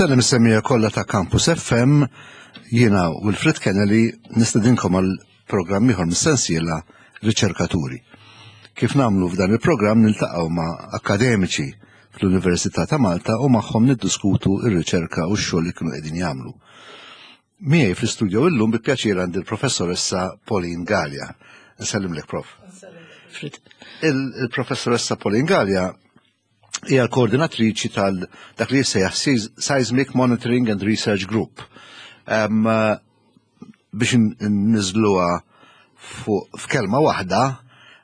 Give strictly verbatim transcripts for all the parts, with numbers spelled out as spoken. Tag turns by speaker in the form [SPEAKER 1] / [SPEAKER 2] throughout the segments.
[SPEAKER 1] Insellem is-semmiegħa kollha ta' Campus F M, jiena Wilfred Kennedy nistedinkom għal programm ieħor mis-sensiela Riċerkaturi. Kif nagħmlu f'dan il-programm, niltaqgħu ma' akademiċi fl-Università ta' Malta u magħhom niddiskutu ir-riċerka u x-xogħol li kienu qegħdin jagħmlu. Miegħi fl-istudio illum bi pjaċir għandi l-professoressa Pauline Galea. Nsellimlek, Prof. Il-professoressa Pauline Galea hija l-koordinatriċi tal dak li jissejjaħ Seismic Monitoring and Research Group. Um, biex nniżżluha f'kelma waħda,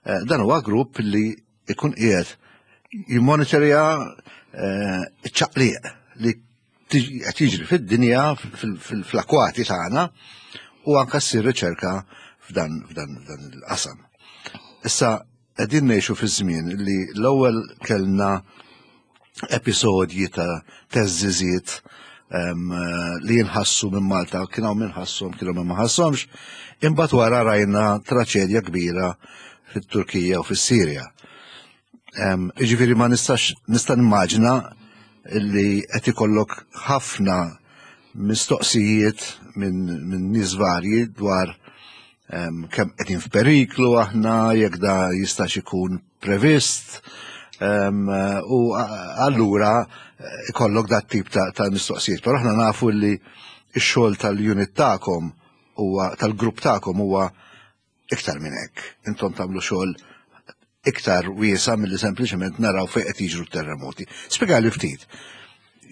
[SPEAKER 1] eh, dan huwa grupp li ikun qiegħed jimmonitorja eh, ċaqliq li qed jiġri fid-dinja, fl-akwati tagħna, u anke ssir riċerka f'dan il-qasam. Issa qegħdin ngħixu fi żmien li l-ewwel kellna episodji ta' theżżiżiet li jinħassu minn Malta, kien hawn min ħasshom, kien hawn min ma ħassomx, imbagħad wara rajna traċedja kbira fit-Turkija u fis-Sirja. Jiġifieri ma nistax nista' nimmaġina li qed ikollok ħafna mistoqsijiet minn min nies varji dwar kemm qegħdin f'periklu aħna, jekk da jistax ikun previst, u allura ikollok dat tip ta', ta mistoqsijiet. Però aħna nafu li x-xogħol tal-unit tagħkom huwa, tal-grupp tagħkom, huwa iktar minn hekk. Intom tagħmlu xogħol iktar wiesa' milli sempliċement naraw fejn qed jiġru terremoti. Spjegali ftit.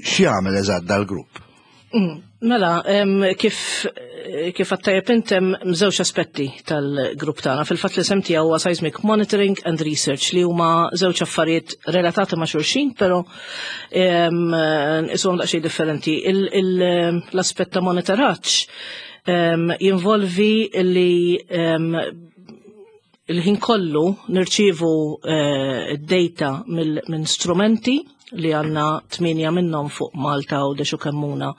[SPEAKER 1] X'jagħmel eżatt dal-grupp?
[SPEAKER 2] Mm, mela, kif kif għedt tajjeb int, hemm żewġ aspetti tal-grupp tagħna. Fil-fatt l-isem tiegħu huwa Seismic Monitoring and Research, li huma żewġ affarijiet relatati ma' xulxin, però isuhom daqsxejn differenti. L-aspett ta' monitoraġġ jinvolvi li il-ħin kollu nirċivu eh, data minn strumenti li għandna tmienja minnhom fuq Malta u Għawdex u Kemmuna.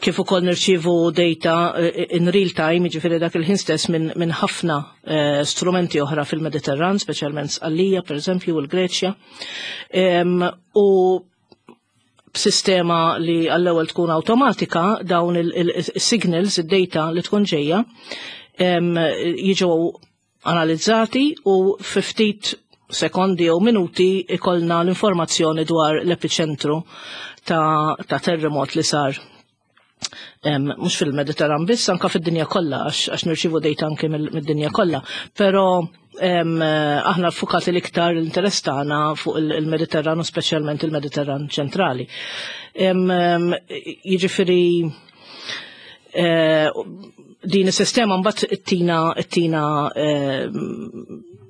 [SPEAKER 2] Kif ukoll nirċivu data eh, in real time, jiġifieri dak il-ħin stess, minn min ħafna eh, strumenti oħra fil-Mediterran, speċjalment Sqallija, per eżempju, u l-Greċja. U b'sistema li għall-ewwel tkun awtomatika, dawn il-signals, id-data li tkun ġejja, jiġu analizzati u fi ftit sekondi jew minuti ikollna l-informazzjoni dwar l-epiċentru ta', ta terremot li sar mhux fil-Mediterran biss, anka fid-dinja kollha, għax nirċivu data anke mid-dinja kollha. Però aħna ffukati l-iktar l-interess tagħna fuq il-Mediterran u speċjalment il-Mediterran ċentrali. Jiġifieri eh, din is-sistema mbagħad ittina ittina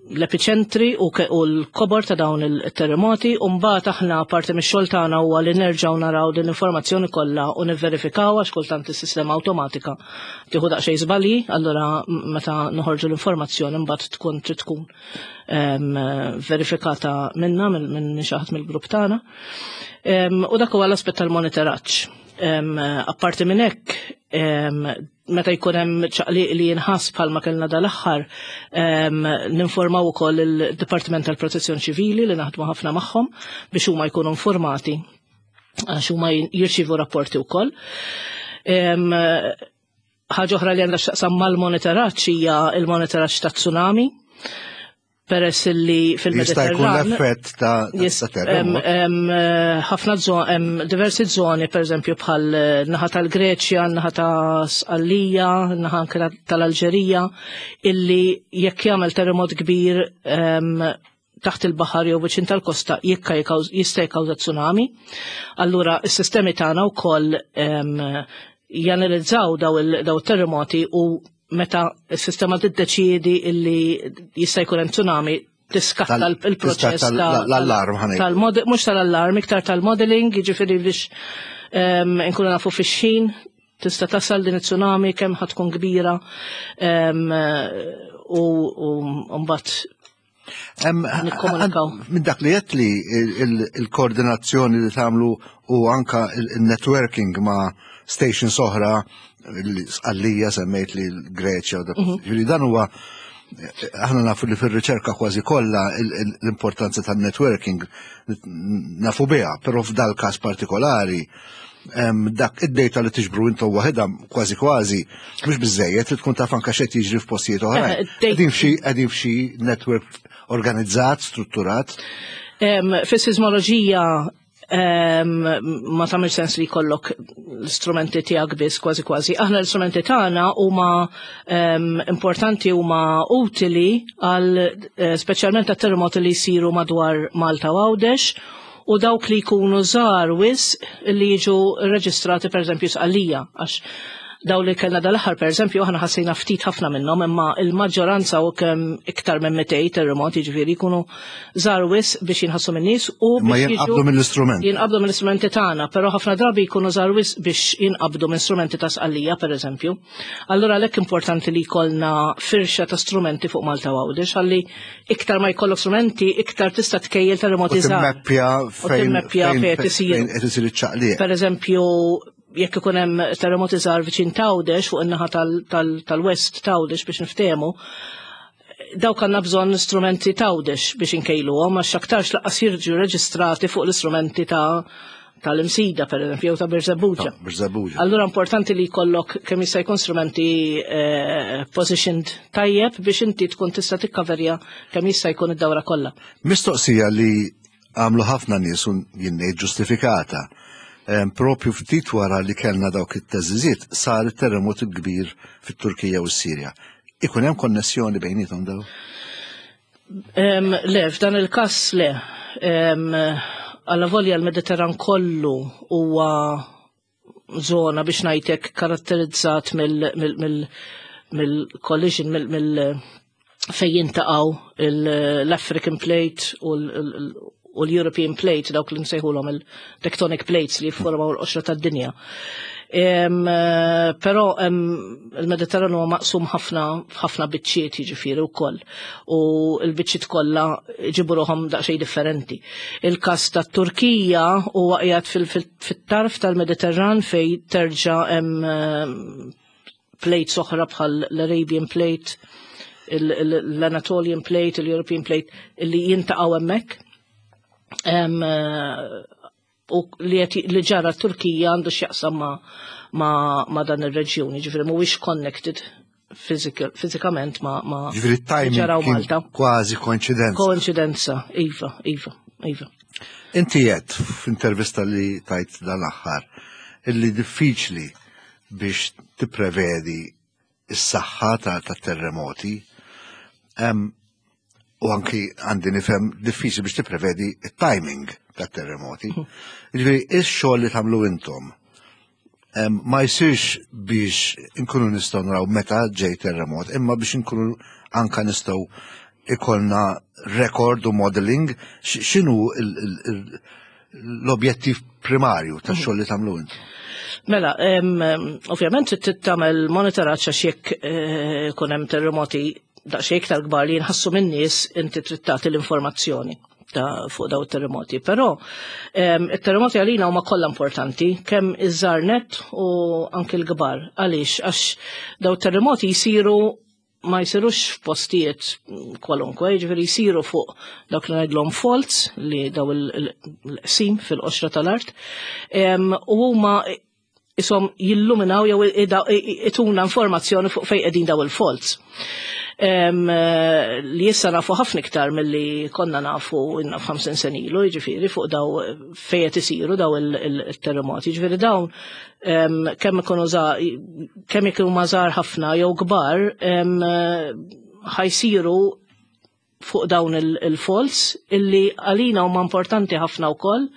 [SPEAKER 2] l-epiċentri u l-kobor ta' dawn il-terremoti, u mbagħad aħna parti mix-xogħol tagħna huwa li nerġgħu naraw din l-informazzjoni kollha u nivverifikaw, għax kultant is-sistema awtomatika tieħu daqsxejn żbalji, allura meta noħorġu l-informazzjoni mbagħad tkun trid tkun verifikata minna, minn xi ħadd mill-grupp tagħna. U dak huwa l-aspett tal-monitoraġġ. Apparti minn hekk, meta jkun hemm ċaqliq li jinħass bħalma kellna dal-aħħar, ninformaw ukoll il-Dipartiment tal-Protezzjoni Ċivili, li naħdmu ħafna magħhom, biex huma jkunu informati, għax huma jirċivu rapporti wkoll. Ħaġa oħra li għandha x'taqsam mal-monitoraġġ hija il-monitoraġġ ta' tsunami, peress li
[SPEAKER 1] Jista' jkun
[SPEAKER 2] fil-Mediterran
[SPEAKER 1] l-effett ta' ta'
[SPEAKER 2] Yes,
[SPEAKER 1] terremot.
[SPEAKER 2] em, em, ħafna zon, em, diversi zoni, per eżempju, bħal eh, naħa tal-Greċja, naħa ta' Sqallija, naħa anke tal-Alġerija, illi jekk jagħmel terremot kbir em, taħt il-baħar jew viċin tal-kosta jekka jikkawż- jista' jikkawża tsunami. Allura s-sistemi tagħna wkoll em, janalizzaw daw il- daw terremoti u meta s-sistema tiddeċiedi illi jista' jkun hemm tsunami, tiskatta
[SPEAKER 1] Tal-
[SPEAKER 2] il-proċess
[SPEAKER 1] tiskatta
[SPEAKER 2] ta'
[SPEAKER 1] l-allarm, ħa ngħid.
[SPEAKER 2] tal-mod- mhux tal-allarm, iktar tal-modeling, jiġifieri biex em, inkunu nafu fix-xejn tista' tasal din it-tsunami, kemm ħa tkun kbira em, u u mbagħad
[SPEAKER 1] Em,
[SPEAKER 2] nikkomunikaw.
[SPEAKER 1] Minn dak li għedt li il- il-koordinazzjoni li tagħmlu u anka il-networking ma' stations oħra, Sqallija semmejt, li l-Greċja, u dak.
[SPEAKER 2] Mhm.
[SPEAKER 1] Ġifieri dan huwa Aħna nafu li fir-riċerka kważi kollha l-importanza tan-networking nafu biha, però f'dal każ partikolari dak id-data li tiġbru intom waħedha kważi kważi mhux biżejjed, li tkun taf anke x'qed jiġri f'postijiet oħrajn.
[SPEAKER 2] Eh,
[SPEAKER 1] Qegħdin f'xi qegħdin f'xi network organizzat, strutturat.
[SPEAKER 2] Fis-sismoloġija ma tagħmel sens li jkollok l-istrumenti tiegħek biss kważi kważi. Aħna l-istrumenti tagħna huma importanti, huma utili għal eh, speċjalment għat-terremoti li jsiru madwar Malta u Għawdex u dawk li jkunu żgħar wisq li jiġu reġistrati, pereżempju, Sqallija, għax daw li kellna dal-aħħar, pereżempju, aħna ħassejna ftit ħafna minnhom, imma il-maġġoranza u kemm iktar minn mitejn terremot, jiġifieri jkunu żgħar wisq biex jinħassu min-nies u
[SPEAKER 1] Ma jinqabdu mill-istrument.
[SPEAKER 2] Jinqabdu mill-istrumenti tagħna, però ħafna drabi jkunu żgħar wisq biex jinqabdu minn strumenti ta' Sqallija, pereżempju. Allura għalhekk importanti li jkollna firxa ta' strumenti fuq Malta u Għawdex, ħalli iktar ma jkollok strumenti, iktar tista' tkejjel terremoti
[SPEAKER 1] żgħar. Timmeppja fejn
[SPEAKER 2] timmeppja fejn qed isir.
[SPEAKER 1] Qed isir iċ-ċaqliq.
[SPEAKER 2] Per eżempju, jekk ikun hemm terremoti żgħar viċin t'Għawdex, fuq in-naħa tal-West t'Għawdex biex niftehmu, dawk għandna bżonn strumenti t'Għawdex biex inkejluhom, għax aktarx lanqas jiġu reġistrati fuq l-istrumenti ta' tal-Imsida, per eżempju, jew ta' Birżebbuġa.
[SPEAKER 1] Birżebbuġa.
[SPEAKER 2] Allura importanti li jkollok kemm jista' jkun strumenti eh, positioned tajjeb biex inti tkun tista' tikkaverja kemm jista' jkun id-dawra kollha.
[SPEAKER 1] Mistoqsija li għamlu ħafna nies u jien ngħid ġustifikata. Em, Propju ftit wara li kellna dawk it-teżiżiet sar it-terremot kbir fit-Turkija u s-Sirja. Ikun hemm konnessjoni bejnietom daw?
[SPEAKER 2] Em, Le, f'dan il-kas le. Em, Alla volja l-Mediterran kollu huwa zona, biex ngħidlek, karatterizzat mill-collision, mill, mill, fejn jintaqgħu l-African Plate u l- u l-European Plate, dawk li nsejħulhom il-tectonic plates li jiffurmaw l-qoxra tad-dinja. Em, eh, Però em, il-Mediterran huwa maqsum ħafna ħafna biċċiet, jiġifieri, wkoll, u l-biċċiet kollha ġibu ruħhom daqsxejn differenti. Il-każ tat-Turkija huwa qiegħed fil-tarf tal-Mediterran fej terġa' hemm em, plates oħra bħal l-Arabian Plate, il- il- l-Anatolian Plate, il-European Plate, li jintaqgħu hemmhekk. Em, eh, u li qed- li ġara Turkija għandu x'jaqsam ma, ma, ma dan ir-reġjun, jiġifieri mhuwiex connected physical, fiżikament ma, ma
[SPEAKER 1] Ġifieri timing
[SPEAKER 2] ġaraw
[SPEAKER 1] kien
[SPEAKER 2] Malta.
[SPEAKER 1] kważi koinċidenza.
[SPEAKER 2] Koincidenza, iva, iva, iva.
[SPEAKER 1] Inti għedt f'intervista li tajt dal-aħħar illi diffiċli biex tipprevedi is-saħħa ta' ta' terremoti Em, u anki għandi nifhem diffiċli biex tipprevedi it-timing ta' terremoti. Ġifieri, ix-xogħol li tagħmlu intom em, ma jsirx biex inkunu nistgħu naraw meta ġej terremot, imma biex inkunu anka nistgħu ikollna record u modeling, x- x'inhu il- il- il- l-objettiv primarju tax-xogħol li tagħmlu intom?
[SPEAKER 2] Mela, em, em, ovvjament trid tagħmel monitoraġġ, għax jekk eh, ikun hemm terremoti daqsxejn iktar kbar li jinħassu min-nies, inti trid tagħti l-informazzjoni ta' fuq daw it-terremoti. Però em, it-terremoti għalina huma kollha importanti, kemm iż-żgħar nett u anke l-kbar. Għaliex? Għax daw it-terremoti jsiru ma jsirux f'postijiet kwalunkwe, jiġifieri jsiru fuq dawk li ngħidlhom faults, li daw il-qsim fil-qoxra tal-art, Em, u huma isom jilluminaw jew ida- ituna informazzjoni fuq fejn qegħdin daw il-faults. Em, eh, li issa nafu ħafna iktar milli konna nafu inna f'ħamsin sena ilu, jiġifieri, fuq daw fejn qed isiru daw il-terremoti. Jiġifieri dawn em, kemm ikunu kemm ikunu żgħar ħafna jew kbar, em, eh, ħa jsiru fuq dawn il-faults illi għalina huma importanti ħafna wkoll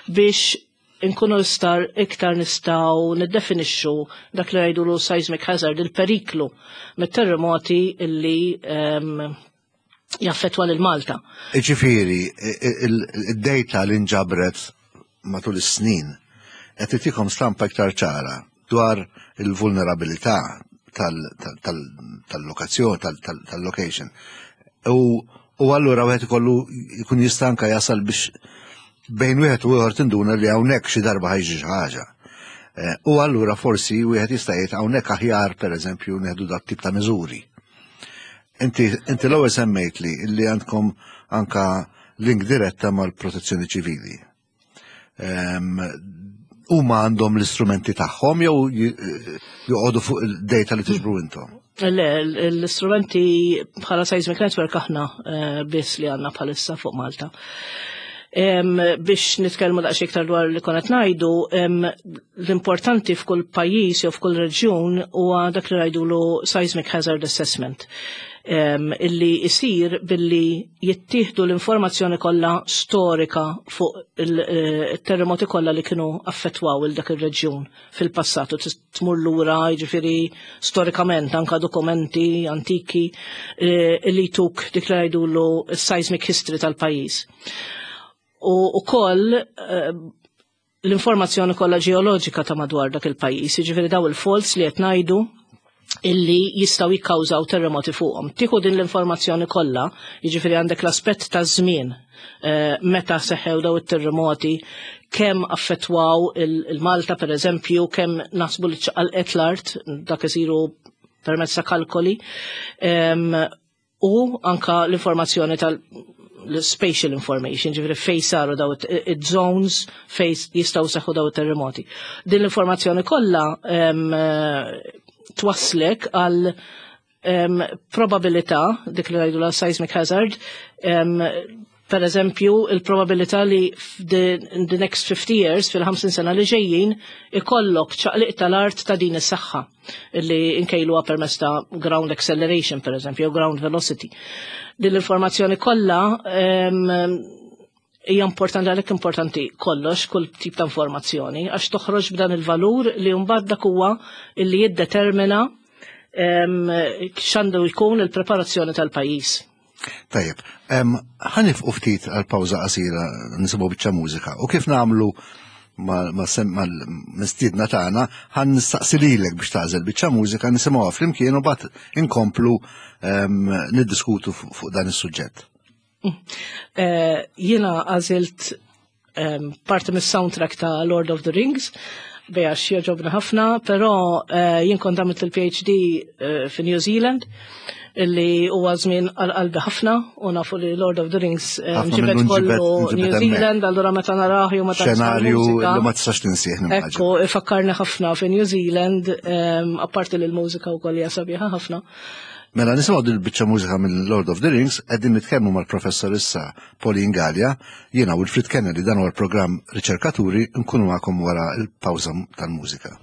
[SPEAKER 2] biex inkunu istar iktar nistgħu niddefinixxu dak li ngħidulu seismic hazard, il-periklu mit-terremoti illi um, jaffetwa lil Malta.
[SPEAKER 1] Ġifieri, id-data li nġabret matul is-snin qed itikom stampa iktar ċara dwar il-vulnerabilità tal-lokazzjoni, tal-location. U u allura wieħed ikollu jkun jista' anka jasal biex bejn wieħed u ieħor tinduna li hawnhekk xi darba ħa jiġri xi ħaġa. Eh, U allura forsi wieħed jista' jgħid hawnhekk aħjar, pereżempju, nieħdu dat tip ta' miżuri. Inti inti l-ewwel semmejt li li għandkom anka link diretta mal-protezzjoni ċivili. Huma għandhom l-istrumenti tagħhom jew joqogħdu fuq il-data li tiġbru intom?
[SPEAKER 2] Le, l-istrumenti bħala Seismic Network aħna biss li għandna bħalissa fuq Malta. Biex nitkellmu daqsxejn iktar dwar li konna ngħidu, l-importanti f'kull pajjiż jew f'kull reġjun huwa dak li ngħidulu Seismic Hazard Assessment, illi isir billi jittieħdu l-informazzjoni kollha storika fuq il-terremoti kollha li kienu affettwaw il dak ir-reġjun fil-passat, u tmur lura jiġifieri storikament anka dokumenti antiki illi tuk dik li ngħidulu seismic history tal-pajjiż. U wkoll l-informazzjoni kollha ġeoloġika ta' madwar dak il-pajjiż, jiġifieri daw il-faults li qed ngħidu illi jistgħu jikkawżaw terremoti fuqhom. Tieħu din l-informazzjoni kollha, jiġifieri għandek l-aspett ta' żmien meta seħħew daw it-terremoti, kemm affettwaw il-Malta per eżempju, kemm naħsbu li ċaqalqet l-art, dak isiru permezz ta' kalkoli, u anka l-informazzjoni tal l-spatial information, ġifieri fej saru daw it-zones fej jistgħu seħħu daw it-terremoti. Din l-informazzjoni kollha twaslek għal probabilità, dik li ngħidu la seismic hazard, per eżempju, il-probabilità li in the next fifty years, fil-ħamsin sena li ġejjin, ikollok ċaqliq tal-art ta' din is-saħħa illi nkejluha permezz ta' ground acceleration, per eżempju, jew ground velocity. Din l-informazzjoni kollha hija importanti, għalhekk importanti kollox, kull tip ta' informazzjoni, għax toħroġ b'dan il-valur li mbagħad dak huwa illi jiddetermina x'għandu jkun il-preparazzjoni tal-pajjiż.
[SPEAKER 1] Tajjeb, ħanifqu ftit għal pawża qasira nisimgħu biċċa mużika, u kif nagħmlu mal-mistiedna tagħna ħan nistaqsi lilek biex tagħżel biċċa mużika nisimgħuha flimkien u mbagħad inkomplu niddiskutu fuq dan is-suġġett.
[SPEAKER 2] Jiena għażilt parti mis-soundtrack ta' Lord of the Rings, għax jogħġobna ħafna, però jien kont għamilt il-P H D fi New Zealand, illi huwa żmien għal qalbi ħafna, u nafu li Lord of the Rings ġibed kollu New Zealand, allura meta narah jew meta
[SPEAKER 1] xenarju li ma tistax tinsih.
[SPEAKER 2] Ekku, ifakkarni ħafna fi New Zealand, apparti li l-mużika wkoll hija sabiħa ħafna.
[SPEAKER 1] Mela nisimgħu din il-biċċa mużika minn Lord of the Rings, qegħdin nitkellmu mal-professorissa Pauline Galea, jiena Wilfred Kennedy, dan huwa l-programm Riċerkaturi, nkunu magħkom wara l-pawża tal-mużika.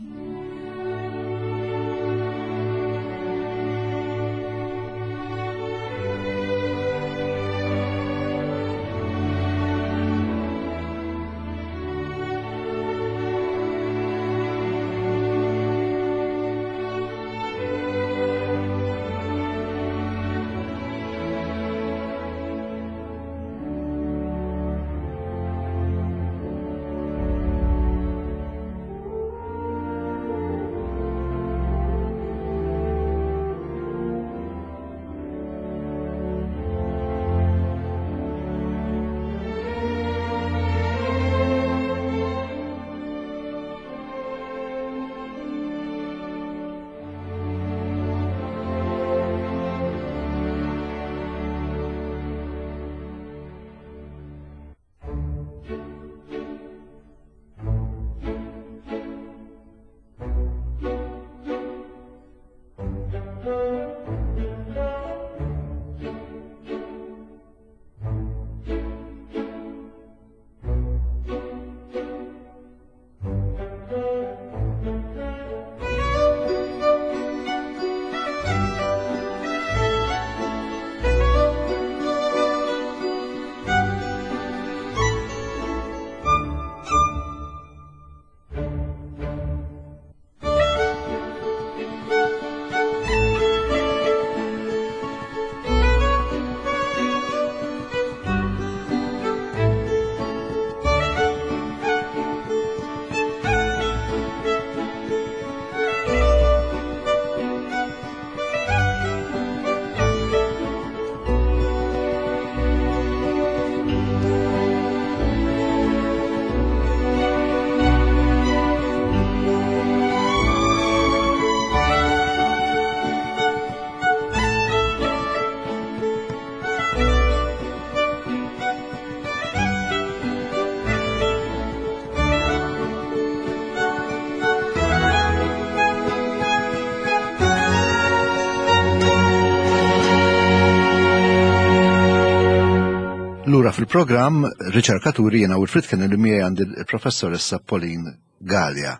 [SPEAKER 1] Lura fil-programm Riċerkaturi, jiena Wilfred Kennedy, miegħi għandi il-professoressa Pauline Galea.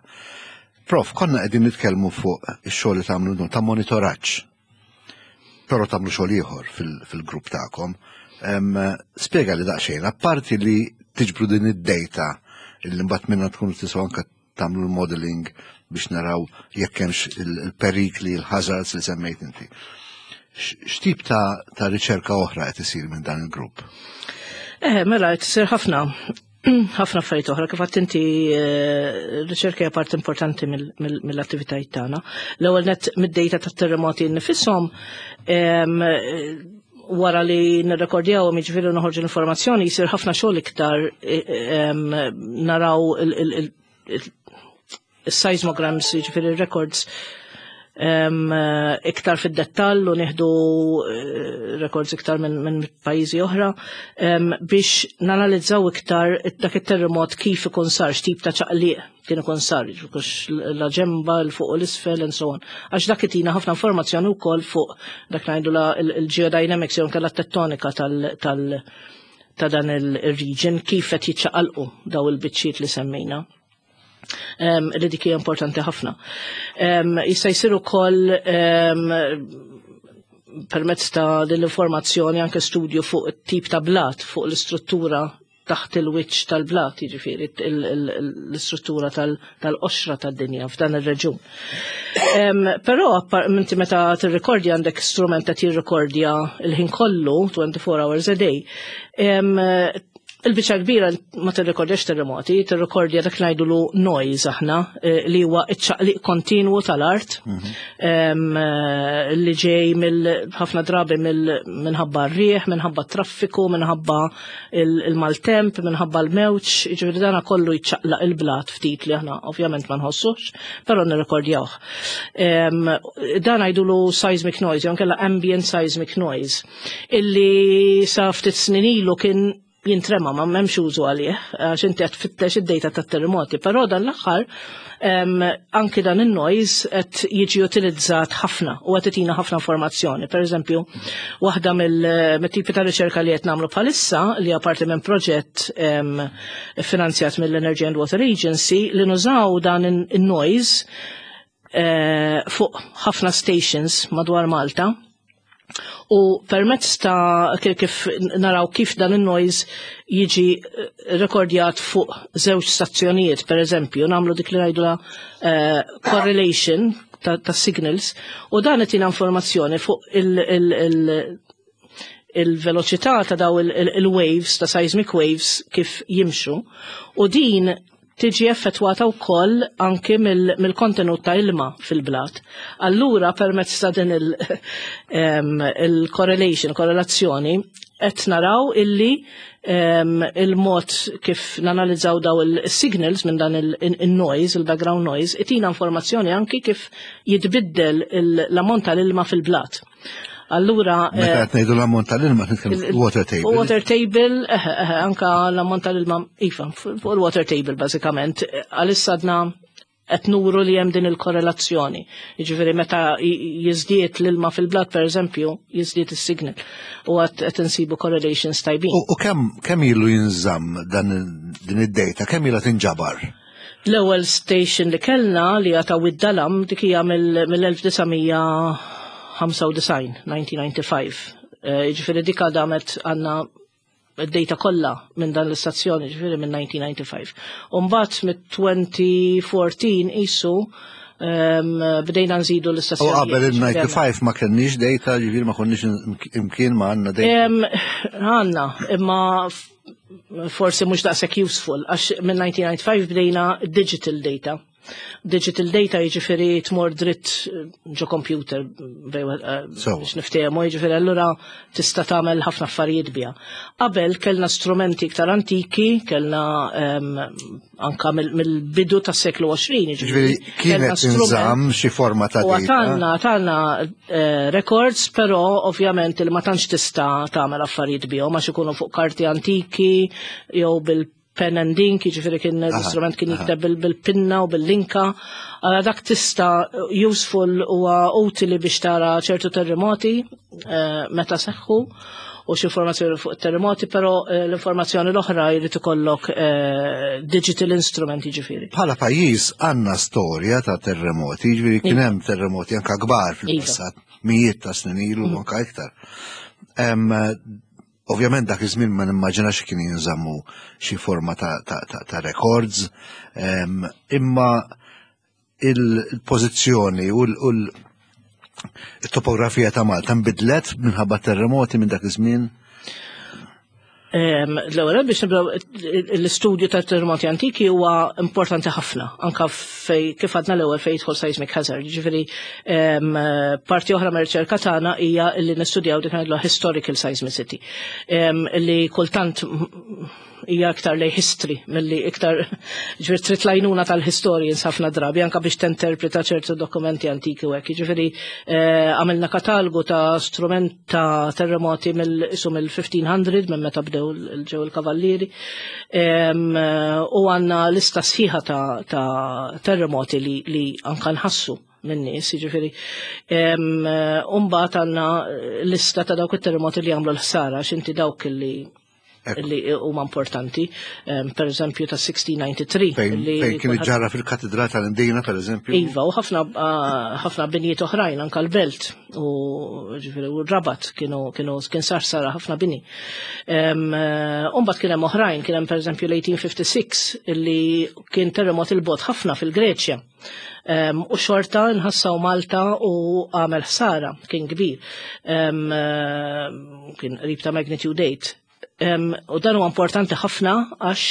[SPEAKER 1] Prof, konna qegħdin nitkellmu fuq ix-xogħol li tagħmlu ta' monitoraġġ. Però tagħmlu xogħol ieħor fil-grupp tagħkom. Spjega li daqsxejn, apparti li tiġbru din id-data li mbagħad minnha tkunu tistgħu anke tagħmlu l-modeling biex naraw jekk hemmx il-perikli, il-hazards li semmejt inti. X'tip ta', ta riċerka oħra qed isir minn dan il-grupp?
[SPEAKER 2] Eh, mela, qed isir ħafna ħafna affarijiet oħra. Kif għedt inti, eh, riċerka hija part importanti mill-attivitajiet tagħna. L-ewwel net mid-data tat-terremoti nifishom, wara li nirrekordjaw, jiġifieri noħorġu l-informazzjoni, jisir ħafna xogħol iktar, naraw il-seismograms, jiġifieri records iktar fid-dettall u nieħdu eh, records iktar minn min pajjiżi oħra biex nanalizzaw iktar dak it-terremot kif ikun sar, x'tip ta' ċaqliq kien ikun sar, kux la ġemba, 'l fuq u l-isfel and so on. Għax dak itina ħafna informazzjoni wkoll fuq dak ngħidu il-geodynamics jew nkella tettonika tal-, tal ta' dan il-region, kif qed jiċċaqalqu daw il-biċċiet li semmejna. Um, li dik hija importanti ħafna. Um, jista' jsir ukoll um, permezz ta' din l-informazzjoni anke studju fuq it-tip ta' blat, fuq l-istruttura taħt il-wiċċ tal-blat, jiġifieri l-istruttura tal-qoxra tad-dinja f'dan ir-reġun. Però inti meta tirrekordja għandek strument ta' tirrekordja il-ħin kollu, twenty-four hours a day. Il-biċċa kbira ma tirrekordjax terremoti, tirrekordja dak ngħidulu noise aħna, eh, li huwa iċ-ċaqliq kontinwu tal-art mhm. eh, li ġej mill ħafna drabi minħabba r-rieħ, minħabba traffiku, minħabba il-maltemp, minħabba l-mewġ, jiġifieri dana kollu jċaqlaq il-blat ftit li aħna ovvjament ma nħossux, però nirrekordjawh. Dan ngħidulu seismic noise, jew nkella ambient seismic noise, illi sa ftit snin ilu kien jintrema, ma m'hemmx użu għalih, għax inti qed tfittex id-data tat-terremoti, però dan l-aħħar anki dan in-noise qed jiġi utilizzat ħafna u qed itina ħafna informazzjoni. Per eżempju, waħda mill-tipi ta' riċerka li qed nagħmlu bħalissa, li parti minn proġett finanzjat mill-Energy and Water Agency, li nużaw dan in-noise eh, fuq ħafna stations madwar Malta u permezz ta' kif naraw kif dan il-noise jiġi eh, rekordjat fuq żewġ stazzjonijiet, per eżempju, nagħmlu dik li ngħidula uh, correlation ta', ta signals u dan qed informazzjoni fuq il-veloċità ta' daw il-waves, ta' seismic waves, kif jimxu, u din tiġi effettwata wkoll anki mill-kontenut ta' ilma fil-blat. Allura permezz ta' din il-correlation, korrelazzjoni, qed naraw illi il-mod kif nanalizzaw daw il-signals minn dan il-noise, il-background noise, itina informazzjoni anki kif jitbiddel l-ammont tal-ilma fil-blat. Allura.
[SPEAKER 1] Meta qed ngħidu l-ammont tal-ilma, nitkellmu water table.
[SPEAKER 2] Water table, anka l-ammont tal-ilma, iva, fuq il-water table bażikament. Għalissa għadna qed nuru li hemm din il-korrelazzjoni. Jiġifieri meta jiżdied l-ilma fil-blat, per eżempju, jiżdied is-signal. U għad qed insibu correlations tajbin.
[SPEAKER 1] U kemm kemm ilu jinżamm dan din id-data, kemm ilha tinġabar?
[SPEAKER 2] L-ewwel station li kellna, li għata Dalam, dik hija mill-elf disa' mija ħamsa u disgħin, elf disa' mija ħamsa u disgħin. Eh, jiġifieri dik damet, għandna id-data kollha minn dan l-istazzjoni, ġifieri minn elf disa' mija ħamsa u disgħin. Umbagħad mit-elfejn u erbatax isu bdejna nżidu l-istazzjoni.
[SPEAKER 1] U qabel il-disgħin ma kenniex data, ġifieri ma konniex imkien ma għandna data?
[SPEAKER 2] Għandna, imma forsi mhux daqshekk useful, għax minn elf disa' mija ħamsa u disgħin bdejna digital data. Digital data jiġifieri tmur dritt ġo computer eh, biex niftehmu, jiġifieri allura tista' tagħmel ħafna affarijiet biha. Qabel kellna strumenti iktar antiki, kellna anka mill-bidu tas-seklu għoxrin.
[SPEAKER 1] Jiġifieri kienet tinżamm xi forma ta'
[SPEAKER 2] data. Għandna għandna eh, records, però ovvjament il ma tantx tista' tagħmel affarijiet bihom għax ikunu fuq karti antiki jew bil Pen and ink, jiġifieri kien l-istrument kien jikteb bil-pinna u bil-linka. Għala dak tista' useful u utili biex tara ċertu terremoti eh, meta seħħu u xi informazzjoni fuq terremoti, però eh, l-informazzjoni l-oħra jrid ikollok eh, digital instrument, jiġifieri.
[SPEAKER 1] Bħala pajjiż għandna storja ta' terremoti, jiġifieri kien hemm terremoti anka kbar fil-passat, mijiet ta' snin ilu, mm. anka iktar. Ovvjament dak iż-żmien ma nimmaġinax kien jinżammu xi forma ta', ta, ta, ta records, imma il-pożizzjoni u l-topografija ta' Malta nbidlet minħabba terremoti minn dak iż-żmien?
[SPEAKER 2] L-ewwel, biex nibdew, l-istudju ta' terremoti antiki huwa importanti ħafna, anka fej, kif għadna l-ewwel, fej jidħol seismic hazard. Ġifieri parti oħra mir-riċerka tagħna hija li nistudjaw dik ngħidlu historical seismicity, li kultant hija iktar lej history milli iktar, ġifieri trid l-għajnuna tal-historians ħafna drabi anka biex tinterpreta ċertu dokumenti antiki u hekk. Ġifieri eh, għamilna katalgu ta' strument ta' terremoti mill-isu mill-fifteen hundred, minn meta bdew ġew il-kavallieri, u għandna lista sħiħa ta', ta terremoti li, li anka nħassu minn nies, jiġifieri. Umbagħad għandna lista ta' dawk it-terremoti li għamlu l-ħsara, x'inti dawk li li huma importanti, per eżempju ta' sixteen ninety-three.
[SPEAKER 1] Fejn kien ġarra fil-katedral tal-Imdina, per eżempju.
[SPEAKER 2] Iva, u ħafna ħafna binjiet oħrajn, anka l-Belt u ġifieri u Rabat kienu kienu kien sar sara ħafna bini. Umbagħad kien hemm oħrajn, kien hemm per eżempju l-eighteen fifty-six illi kien terremot il-bogħod ħafna fil-Greċja. U xorta nħassaw Malta u għamel ħsara, kien kbir. Kien qrib ta' magnitude eight. U dan huwa importanti ħafna għax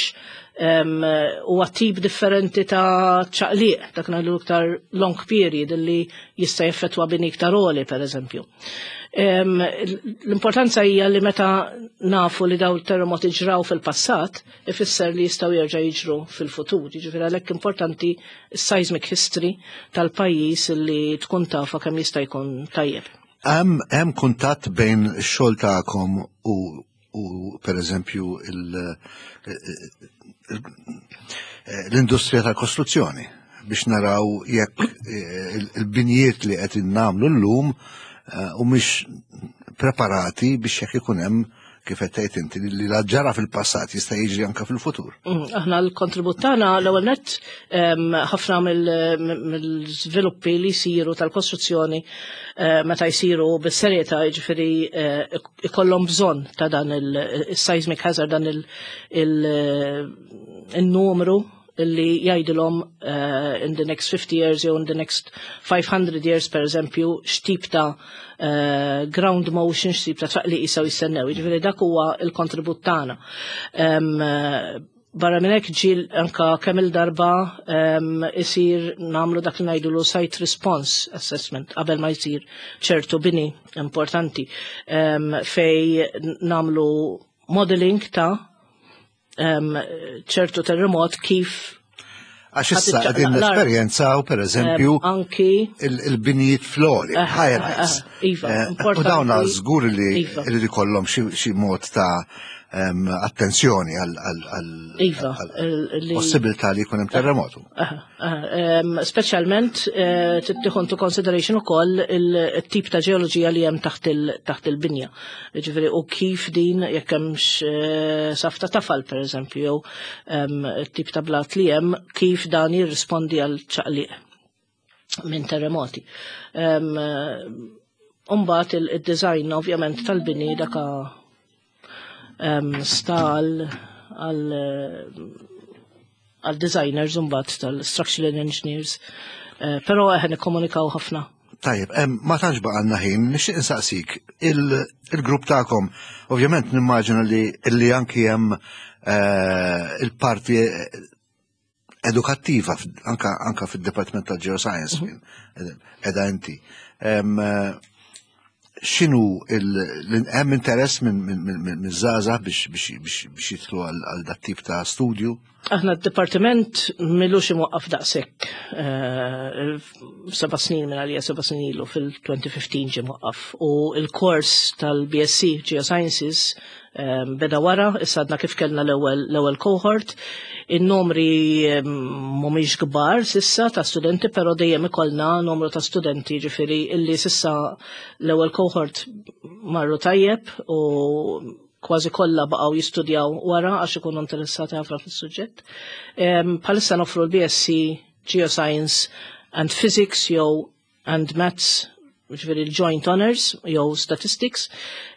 [SPEAKER 2] huwa tip differenti ta' ċaqliq, dak ngħidu iktar long period li jista' jeffettwa bini iktar għoli, per eżempju. L-importanza hija li meta nafu li daw terremoti ġraw fil-passat, ifisser li jistgħu jerġa' jiġru fil-futur. Jiġifieri għalhekk importanti seismic history tal-pajjiż li tkun tafa kemm jista' jkun tajjeb.
[SPEAKER 1] Hemm kuntatt bejn ix-xogħol tagħkom u u per eżempju l-industrija tal-kostruzzjoni biex naraw jekk eh, il-binjiet li qed nagħmlu llum eh, u mhix preparati biex jekk ikun hemm, kif qed tgħid inti, li la ġara fil-passat jista' jiġri anke fil-futur?
[SPEAKER 2] Mm, aħna l-kontribut tagħna, l-ewwel nett, ħafna mill-żviluppi li jsiru tal-kostruzzjoni, eh, meta jsiru bis-serjetà, jiġifieri eh, ikollhom bżonn ta' dan il-seismic hazard, dan il-numru illi jgħidilhom uh, in the next fifty years jew in the next five hundred years, per eżempju, x'tip ta' uh, ground motion, x'tip ta' ċaqliq jistgħu jistennew. Jiġifieri dak huwa il-kontribut tagħna. Um, barra minn hekk ġiel anka kemm il-darba um, isir nagħmlu dak li ngħidulu site response assessment qabel ma jsir ċertu bini importanti, um, fej nagħmlu modeling ta' um, ċertu terremot kif
[SPEAKER 1] Għax issa qegħdin nesperjenzaw, per eżempju,
[SPEAKER 2] anki
[SPEAKER 1] il-binijiet fl-għoli,
[SPEAKER 2] eh,
[SPEAKER 1] high
[SPEAKER 2] eh,
[SPEAKER 1] rise.
[SPEAKER 2] Eh, iva,
[SPEAKER 1] U
[SPEAKER 2] importanti.
[SPEAKER 1] dawn żgur li
[SPEAKER 2] Iva.
[SPEAKER 1] irid ikollhom xi xi mod ta' em, attenzjoni għal għal-
[SPEAKER 2] Iva,
[SPEAKER 1] għal
[SPEAKER 2] il- li-
[SPEAKER 1] possibilità li jkun hemm terremotu.
[SPEAKER 2] Aha, aha, em, Speċjalment eh, tieħu into consideration ukoll il-tip ta' ġeoloġija li hemm taħt il- taħt il-binja. Ġifieri u kif din, jekk hemmx eh, saf ta' tafal, pereżempju, jew em, tip ta' blat li hemm, kif dan jirrispondi għal ċaqliq minn terremoti. Em, Umbagħad il-design ovvjament tal-bini daka em, sta għal għal għal designers mbagħad tal-structural engineers. Eh, Però eħe, nikkomunikaw ħafna.
[SPEAKER 1] Tajjeb, em, ma tantx baqgħalna ħin, nixtieq insaqsik, il- il-grupp tagħkom, ovvjament nimmaġina li li anki hemm eh, il-parti edukattiva f- anka anka fid-Dipartiment tal-Geoscience fejn edha inti. Em, eh, X'inhu il- hemm interess minn minn minn minn żgħażagħ biex biex biex biex jidħlu għal għal dat tip ta' studju?
[SPEAKER 2] Aħna d-dipartiment m'ilux imwaqqaf daqshekk, eh, seba' snin minn għalija, seba' snin ilu, fil-elfejn u ħmistax ġie mwaqqaf u il-kors tal-B S C Geosciences eh, beda wara. Issa għadna kif kellna l-ewwel l-ewwel cohort. In-numri eh, mhumiex kbar s'issa ta' studenti, però dejjem ikollna numru ta' studenti, ġifieri illi s'issa l-ewwel cohort marru tajjeb u kważi kollha baqgħu jistudjaw wara għax ikunu interessati ħafna fis-suġġett. Bħalissa noffru l-B S C Geoscience and Physics jew and Maths, ġifieri l-Joint Honors jew Statistics,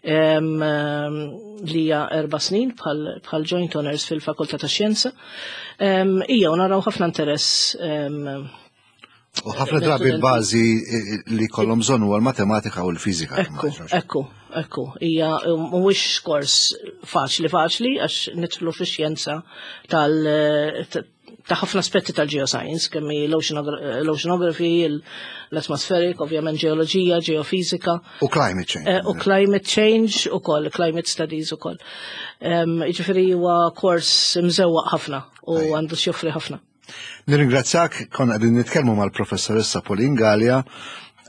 [SPEAKER 2] em, em, li hija erba' snin bħal bħal Joint Honors fil-Fakultà ta' Xjenza. Em, Ija, u naraw ħafna interess em,
[SPEAKER 1] U ħafna drabi l-bażi eh, li kollhom bżonn huwa l-matematika u l-fiżika.
[SPEAKER 2] Ekku, ekku, ekku. Ija, mhuwiex kors faċli faċli għax nidħlu fix-xjenza tal ta' ħafna aspetti tal-geoscience, kemm hi l-oceanography, l-atmospheric, ovvjament ġeoloġija, ġeofizika.
[SPEAKER 1] U climate change.
[SPEAKER 2] Eh, u climate change u koll, climate studies u koll. Ġifieri huwa kors mżewwaq ħafna u għandu x'joffri ħafna.
[SPEAKER 1] Nirringrazzjak, konna qegħdin nitkellmu mal-professoressa Pauline Galea.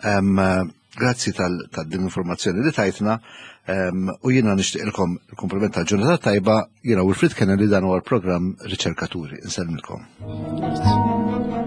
[SPEAKER 1] Em, Grazzi tal-din informazzjoni li tajtna em, u jiena nixtieqilkom il-kumplament tal-ġurnata tajba. Jiena Wilfried Kennedy, dan huwa l-programm Riċerkaturi. Insellmilkom.
[SPEAKER 2] Grazzi.